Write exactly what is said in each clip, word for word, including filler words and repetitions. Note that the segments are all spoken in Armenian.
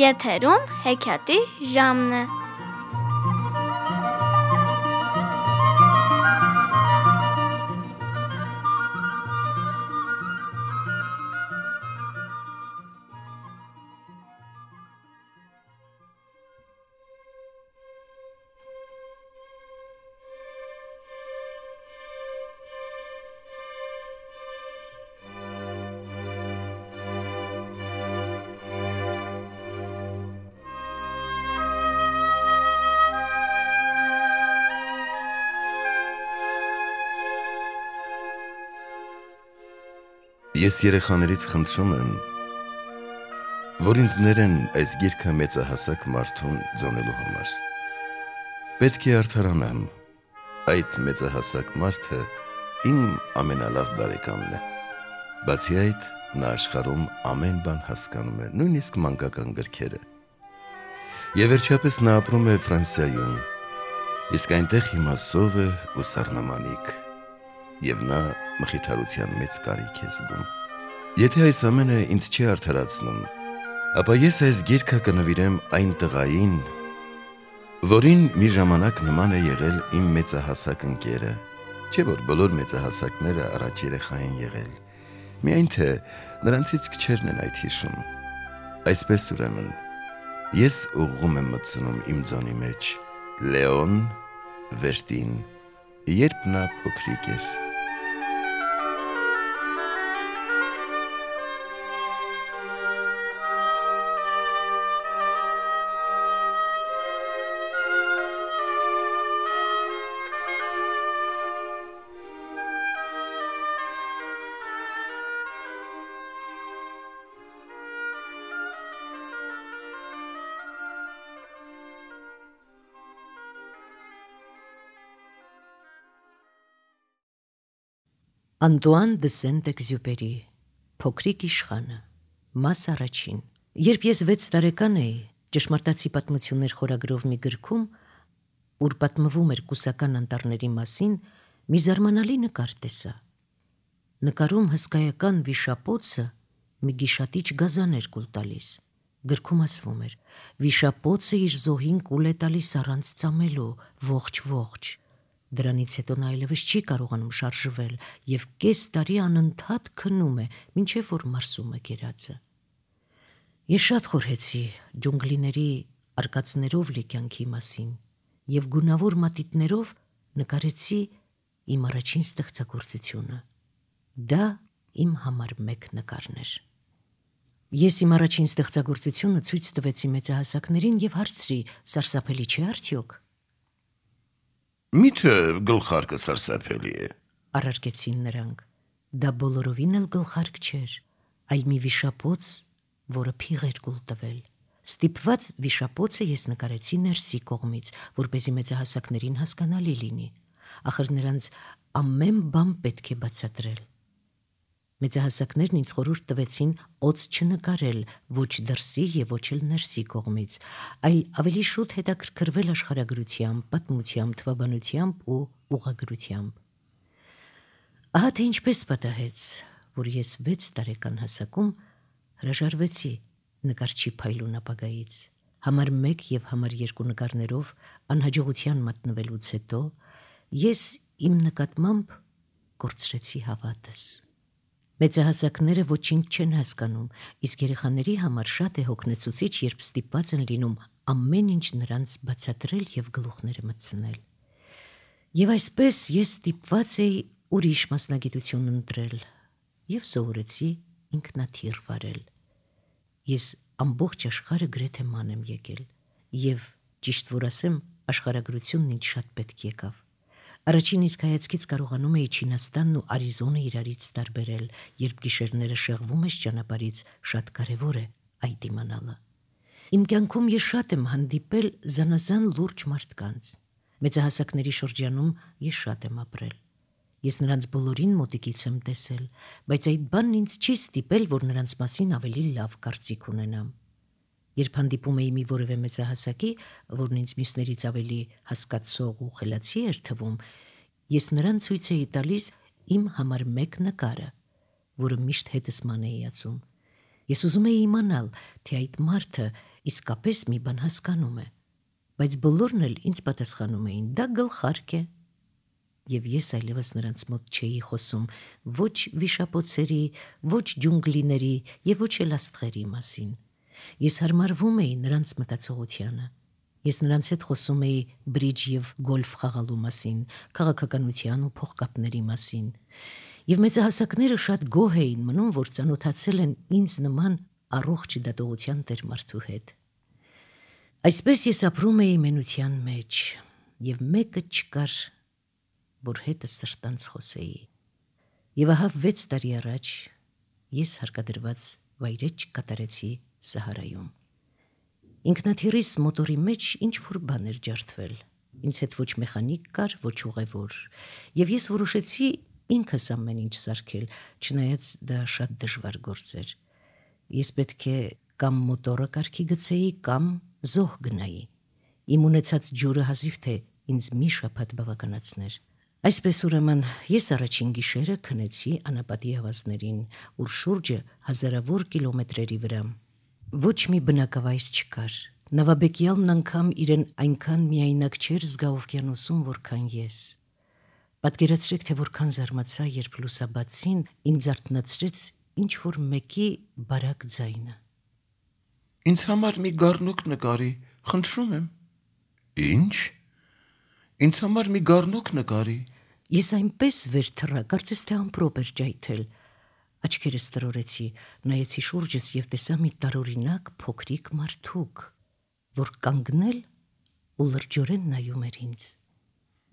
Եթերում հեքիաթի ժամն է։ Ես երեխաներից խնդրում եմ, որ ինձ ներեն այս գիրքը մեծահասակ մարդուն ձոնելու համար։ Պետք է արդարանամ, այդ մեծահասակ մարդը իմ ամենալավ բարեկամն է։ Բացի այդ, նա աշխարհում ամեն բան հասկանում է, նույնիսկ մանկական գրքերը։ Եվ վերջապես նա ապրում է Ֆրանսիայում, իսկ այնտեղ հիմա սով է ու սառնամանիք, և նա մխիթարության մեծ կարիք է զգում։ Եթե այս ամենը ինձ չի արդարացնում, ապա ես այս գիրքը կնվիրեմ այն տղային, որին մի ժամանակ նման է եղել իմ մեծահասակ ընկերը, չէ՞ որ բոլոր մեծահասակները առաջ երեխա են եղել, միայն թե նրանցից քչերն են այդ հիշում։ Այսպես ուրեմն, ես ուղղում եմ մտցնում իմ ձոնի մեջ Լեոն Վերտին, երբ նա փոքրիկ էր։ Անտուան դը Սենտ-Էքզյուպերի Փոքրիկ իշխանը, մաս առաջին։ Երբ ես վեց տարեկան էի, ճշմարտացի պատմություններ խորագրով մի գրքում, ուր պատմվում էր կուսական անտառների մասին, մի զարմանալի նկար տեսա։ Նկարում հսկայական վիշապոցը մի գիշատիչ գազան էր կուլ տալիս։ Գրքում ասվում էր. վիշապոցը իր զոհին կուլ է տալիս առանց ծամելու, ողջ-ողջ։ Դրանից հետո նա այլևս չի կարողանում շարժվել և կես տարի անընդհատ քնում է, մինչև որ մարսում է կերածը։ Ես շատ խորհեցի ջունգլիների արկածներով լի կյանքի մասին և գունավոր մատիտներով նկարեցի իմ առաջին ստեղծագործությունը։ Դա իմ համար մեկ նկարն էր։ Ես իմ առաջին ստեղծագործությունը ցույց տվեցի մեծահասակներին և հարցրի. սարսափելի չէ՞ արդյոք։ Միթե գլխարկը սարսափելի է, առարկեցին նրանք։ Դա բոլորովին էլ գլխարկ չէր, այլ մի վիշապոց, որը փիղ էր կուլ տվել։ Ստիպված վիշապոցը ես նկարեցի ներսի կողմից, որպեսզի մեծահասակներին հասկանալի լինի։ Ախր նրանց ամեն բան պետք է բացատրել։ Մեծահասակներն ինձ խորհուրդ տվեցին օձ չնկարել ոչ դրսի և ոչ էլ ներսի կողմից, այլ ավելի շուտ հետաքրքրվել աշխարհագրությամբ, պատմությամբ, թվաբանությամբ ու ուղղագրությամբ։ Ահա թե ինչպես պատահեց, որ ես վեց տարեկան հասակում հրաժարվեցի նկարչի փայլուն ապագայից։ Համար մեկ և համար երկու նկարներով անհաջողության մատնվելուց հետո ես իմ նկատմամբ կորցրեցի հավատս։ Մեծահասակները ոչինչ չեն հասկանում, իսկ երեխաների համար շատ է հոգնեցուցիչ, երբ ստիպված են լինում ամեն ինչ նրանց բացատրել և գլուխները մտցնել։ Եվ այսպես ես ստիպված էի ուրիշ մասնագիտություն ընտրել և սովորեցի ինքնաթիռ վարել։ Ես ամբողջ աշխարհը գրեթե ման եմ եկել և, ճիշտ որ ասեմ, աշխարհագրությունն ինձ շատ պետք եկավ։ Առաջին իսկ հայացքից կարողանում էի Չինաստանն ու Արիզոնը իրարից տարբերել, երբ գիշերները շեղվում ես ճանապարհից, շատ կարևոր է այդ իմանալը։ Իմ կյանքում ես շատ եմ հանդիպել զանազան լուրջ մարդկանց։ Մեծահասակների շրջանում ես շատ եմ ապրել։ Ես նրանց բոլորին մոտիկից եմ տեսել, բայց այդ բանն ինձ չի ստիպել, որ նրանց մասին ավելի լավ կարծիք ունենամ։ Երբ հանդիպում էի մի որևէ մեծահասակի, որն ինձ մյուսներից ավելի հասկացող ու խելացի էր թվում, ես նրան ցույց էի տալիս իմ համար մեկ նկարը, որը միշտ հետս ման էի ածում։ Ես ուզում էի իմանալ, թե այդ մարդը իսկապես մի բան հասկանում է, բայց բոլորն էլ ինձ պատասխանում էին, դա գլխարկ է։ Եվ ես այլևս նրանց մոտ չէի խոսում ոչ վիշապոցերի, ոչ ջունգլիների եւ ոչ էլ աստղերի մասին։ Ես հարմարվում էի նրանց մտածողությանը։ Ես նրանց հետ խոսում էի բրիջ եւ գոլֆ խաղալու մասին, քաղաքականության ու փողկապների մասին։ Եվ մեծահասակները շատ գոհ էին մնում, որ ծանոթացել են ինձ նման առողջ դատողության տեր մարդու հետ։ Այսպես ես ապրում էի մենության մեջ, եւ մեկը չկար, որ հետը սրտանց խոսեի։ Եվ ահա վեց տարի առաջ ես հարկադրված վայրեջ կատարեցի Սահարայում։ Ինքնաթիռիս մոտորի մեջ ինչ-որ բան էր ջարդվել։ Ինձ հետ ոչ մեխանիկ կար, ոչ ուղևոր, եւ ես որոշեցի ինքս ամեն ինչ սարքել, չնայած դա շատ դժվար գործ էր։ Ես պետք է կամ մոտորը կարգի գցեի, կամ զոհ գնայի։ Իմ ունեցած ջուրը հազիվ թե ինձ մի շաբաթ բավականացներ։ Այսպես ուրեմն ես առաջին գիշերը քնեցի անապատի ավազներին, ուր շուրջը հազարավոր կիլոմետրերի վրա ոչ մի բնակավայր չկար։ Նավաբեկյալն անգամ իրեն այնքան միայնակ չէր զգա օվկիանոսում, որքան ես։ Պատկերացրեք, թե որքան զարմացա, երբ լուսաբացին ինձ արթնացրեց ինչ-որ մեկի բարակ ձայնը։ Ինձ համար մի գառնուկ նկարի, խնդրում եմ։ Ինչ։ Ինձ համար մի գառնուկ նկարի։ Ես այնպես վեր թռա, կարծես թե ամպրոպ էր ջայթել։ Աչքերս տրորեցի, նայեցի շուրջս եւ տեսա մի տարօրինակ փոքրիկ մարդուկ, որ կանգնել ու լրջորեն նայում էր ինձ։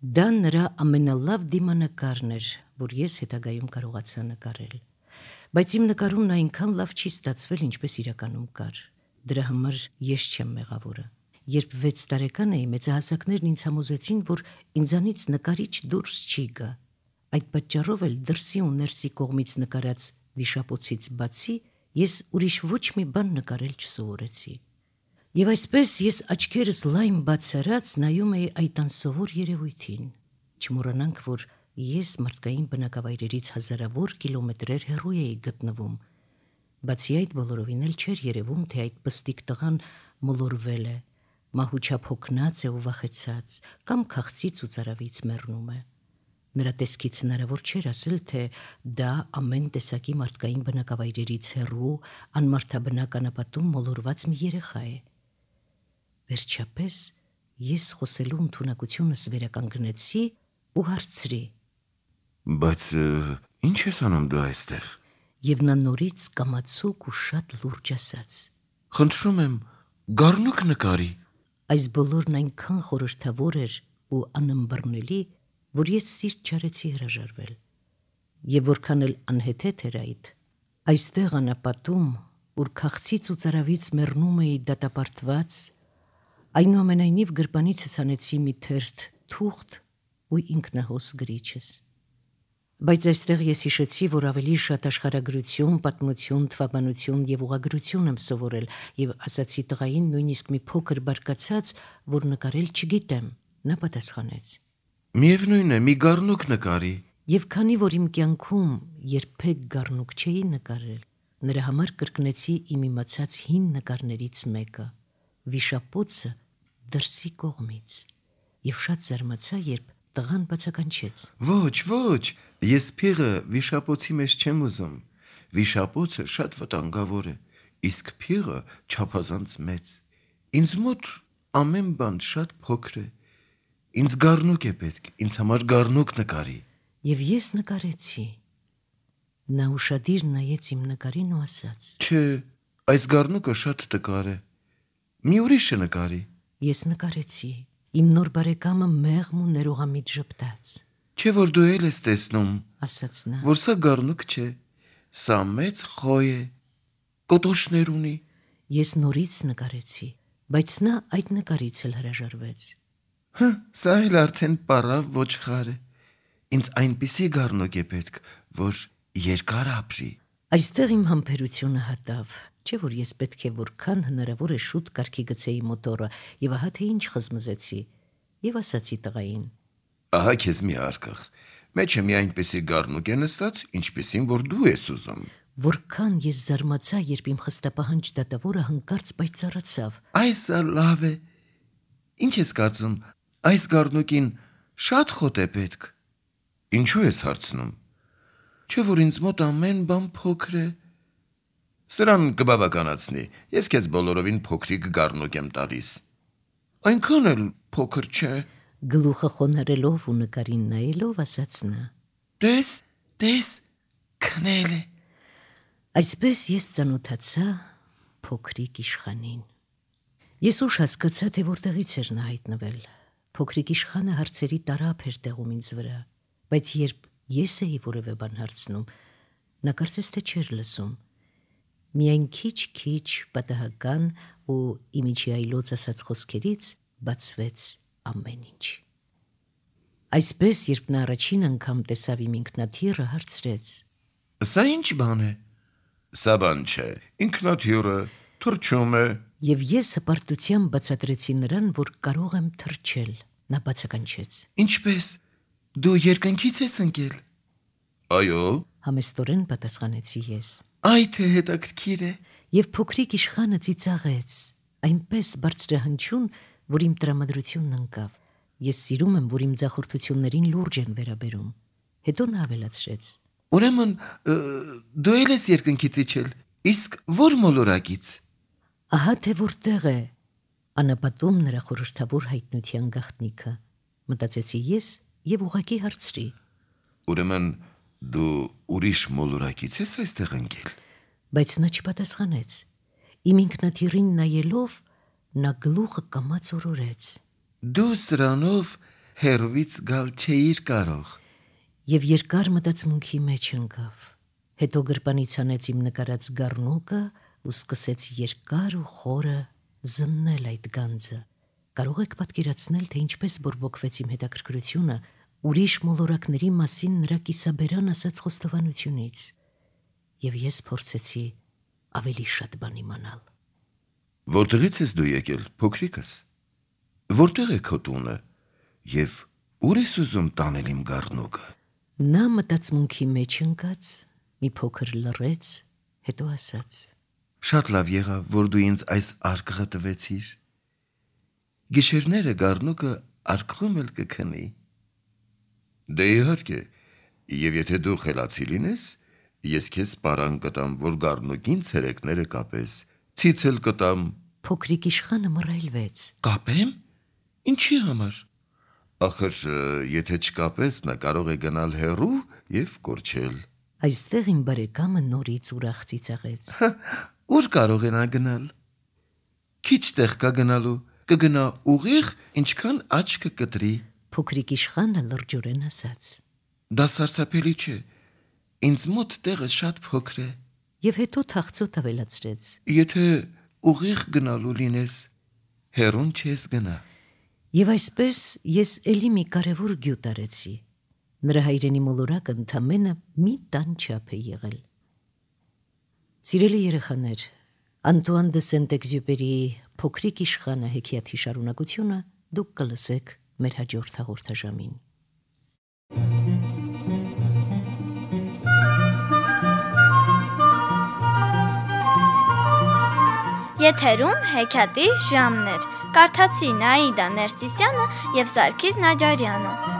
Դա նրա ամենալավ դիմանկարն էր, որ ես հետագայում կարողացա նկարել։ Բայց իմ նկարում նա այնքան լավ չի ստացվել, ինչպես իրականում կար։ Դրա համար ես չեմ մեղավորը։ Երբ վեց տարեկան էի, մեծահասակներն ինձ համոզեցին, որ ինձանից նկարիչ դուրս չի գա։ Այդ պատճառով էլ դրսի ու ներսի կողմից նկարած վիշապոցից բացի ես ուրիշ ոչ մի բան նկարել չսովորեցի։ Եվ այսպես ես աչքերս լայն բացարած նայում էի այդ անսովոր երևույթին։ Չմոռանանք, որ ես մարդկային բնակավայրերից հազարավոր կիլոմետրեր հեռու էի գտնվում։ Բացի այդ բոլորովին էլ չէր երևում, թե այդ պստիկ տղան մոլորվել է, մահուչափ հոգնած է ու վախեցած, կամ քաղցից ու ծարավից մեռնում է։ Նրա տեսքից հնարավոր չէր ասել, թե դա ամեն տեսակի մարդկային բնակավայրերից հեռու, անմարդաբնակ անապատում մոլորված մի երեխա է։ Վերջապես ես խոսելու ընդունակությունս վերականգնեցի ու հարցրի. Բայց ինչ ես անում դու այստեղ։ Եվ նա նորից կամացուկ ու շատ լուրջ ասաց. Խնդրում եմ, գառնուկ նկարի։ Այս բոլորն այնքան խորհրդավոր էր ու անըմբռնելի, որ ես սիրտ չարեցի հրաժարվել։ Եվ որքան էլ անհեթեթ էր այդ, այստեղ անապատում, ուր քաղցից ու ծարավից մեռնում էի դատապարտված, այնուամենայնիվ գրպանիցս անեցի մի թերթ թուղթ ու ինքնահոս գրիչս։ Բայց այստեղ ես հիշեցի, որ ավելի շատ աշխարհագրություն, պատմություն, թվաբանություն եւ ուղղագրություն եմ սովորել, եւ ասացի տղային նույնիսկ մի փոքր բարկացած, որ նկարել չգիտեմ։ Նա պատասխանեց. Միևնույն է, մի գառնուկ նկարի։ Եվ քանի որ իմ կյանքում երբեք գառնուկ չէի նկարել, նրա համար կրկնեցի իմ իմացած հին նկարներից մեկը՝ վիշապոցը դրսի կողմից։ Եվ շատ զարմացա, երբ տղան բացականչեց. Ոչ, ոչ, ես փիղը վիշապոցի մեջ չեմ ուզում։ Վիշապոցը շատ վտանգավոր է, իսկ փիղը չափազանց մեծ։ Ինձ մոտ ամեն բան շատ փոքր է։ Ինձ գառնուկ է պետք, ինձ համար գառնուկ նկարի։ Եվ ես նկարեցի։ Նա ուշադիր նայեց իմ նկարին ու ասաց. Չէ, այս գառնուկը շատ տկար է։ Մի ուրիշը նկարի։ Ես նկարեցի։ Իմ նոր բարեկամը մեղմ ու ներողամիտ ժպտաց. Չէ որ դու էլ ես տեսնում, ասաց նա, որ սա գառնուկ չէ, սա մեծ խոյ է, կոտոշներ ունի։ Ես նորից նկարեցի, բայց նա այդ նկարից էլ հրաժարվեց։ Հա, սա էլ արդեն պարավ ոչխար է։ Ինձ այնպիսի գառնուկ է պետք, որ երկար ապրի։ Այստեղ իմ համբերությունը հատավ, չէ որ ես պետք է որքան հնարավոր է շուտ կարգի գցեի մոտորը, եւ ահա թե ինչ խզմզեցի, եւ ասացի տղային. Ահա քեզ մի արկղ, մեջը մի այնպիսի գառնուկ է նստած, ինչպիսին որ դու ես ուզում։ Որքան ես զարմացա, երբ իմ խստապահանջ դատավորը հանկարծ պայծառացավ։ Այս լավ է։ Ինչ ես կարծում, այս գառնուկին շատ խոտ է պետք։ Ինչու ես հարցնում։ Չէ՞ որ ինձ մոտ ամեն բան փոքր է։ Սրան կբավականացնի։ Ես քեզ բոլորովին փոքրիկ գառնուկ եմ տալիս։ Այնքան էլ փոքր չէ։ Գլուխը խոնարելով ու նկարին նայելով ասաց նա. Տես, տես, քնել է։ Այսպես ես ծանոթացա փոքրիկ իշխանին։ Ես ուշ հասկացա, թե որտեղից էր նա հայտնվել։ Փոքրիկ իշխանը հարցերի տարափ էր տեղում ինձ վրա, բայց երբ ես էի որևէ բան հարցնում, նա կարծես թե չէր լսում։ Միայն քիչ-քիչ պատահական ու իմիջի այլոց ասած խոսքերից բացվեց ամեն ինչ։ Այսպես, երբ նա առաջին անգամ տեսավ իմ ինքնաթիռը, հարցրեց. Սա ինչ բան է։ Սա բան չէ, ինքնաթիռը թռչում է։ Եվ ես հպարտությամբ բացատրեցի նրան, որ կարող եմ թռչել։ Նա բացականչեց. Ինչպես։ Դու երկնքից ես ընկել։ Այո։ Համեստորեն պատասխանեցի ես։ Այ թե հետաքրքիր է։ Եվ փոքրիկ իշխանը ծիծաղեց, այնպես բարձրահնչյուն, որ իմ տրամադրությունն ընկավ։ Ես սիրում եմ, որ իմ ձախորդություններին լուրջ են վերաբերում։ Հետո նա ավելացրեց. Ուրեմն դու էլ ես երկնքից իջել, իսկ ո՞ր մոլորակից։ Ահա թե որտեղ է անապատում նրա խորհրդավոր հայտնության գաղտնիքը, մտածեցի ես եւ ուղղակի հարցրի. Ուրեմն դու ուրիշ մոլորակից ես այստեղ ընկել։ Բայց նա չպատասխանեց։ Իմ ինքնաթիռին նայելով նա գլուխը կամաց օրորեց. Դու սրանով հերվից գալ չէիր կարող։ Եվ երկար մտածմունքի մեջ ընկավ։ Հետո գրպանից հանեց իմ նկարած գառնուկը ու սկսեց երկար ու խորը զննել այդ գանձը։ Կարող եք պատկերացնել, թե ինչպես բորբոքվեց իմ հետաքրքրությունը ուրիշ մոլորակների մասին նրա կիսաբերան ասած խոստովանությունից։ Եվ ես փորձեցի ավելի շատ բան իմանալ։ Որտեղից ես դու եկել, փոքրիկս։ Որտեղ է քո տունը եւ ուր ես ուզում տանել իմ գառնուկը։ Նա մտածմունքի մեջ ընկած, մի փոքր լռեց, հետո ասաց. Շատ լավ եղավ, որ դու ինձ այս արկղը տվեցիր։ Գիշերները գառնուկը արկղում էլ կքնի։ Դե իհարկե, եւ եթե դու խելացի լինես, ես քեզ պարան կտամ, որ գառնուկին ցերեկները կապես, ցիցել կտամ։ Փոքրիկ իշխանը մռայլվեց. Կապեմ։ Ինչի համար։ Ախր եթե չկապես, նա կարող է գնալ հեռու եւ կորչել։ Այստեղ իմ բարեկամը նորից ուրախ ծիծաղեց։ Ուր կարող է նա գնալ։ Քիչ տեղ կա գնալու, կգնա ուղիղ, ինչքան աչքը կտրի։ Փոքրիկ իշխանը լրջորեն ասաց. Դա սարսափելի չէ։ Ինձ մոտ տեղը շատ փոքր է։ Եվ հետո թախծոտ ավելացրեց. Եթե ուղիղ գնալու լինես, հեռուն չես գնա։ Եվ այսպես ես էլի մի կարևոր գյուտ արեցի։ Նրա հայրենի մոլորակը ընդամենը մի տան չափ է եղել։ Սիրելի երեխաներ, Անտուան դե Սենտ-Էքզյուպերիի Փոքրիկ իշխանը հեքիաթի շարունակությունը դուք կլսեք մեր հաջորդ հաղորդաժամին։ Եթերում հեքիաթի ժամն էր։ Կարդացին Աիդա Ներսիսյանը եւ Սարգիս Նաջարյանը։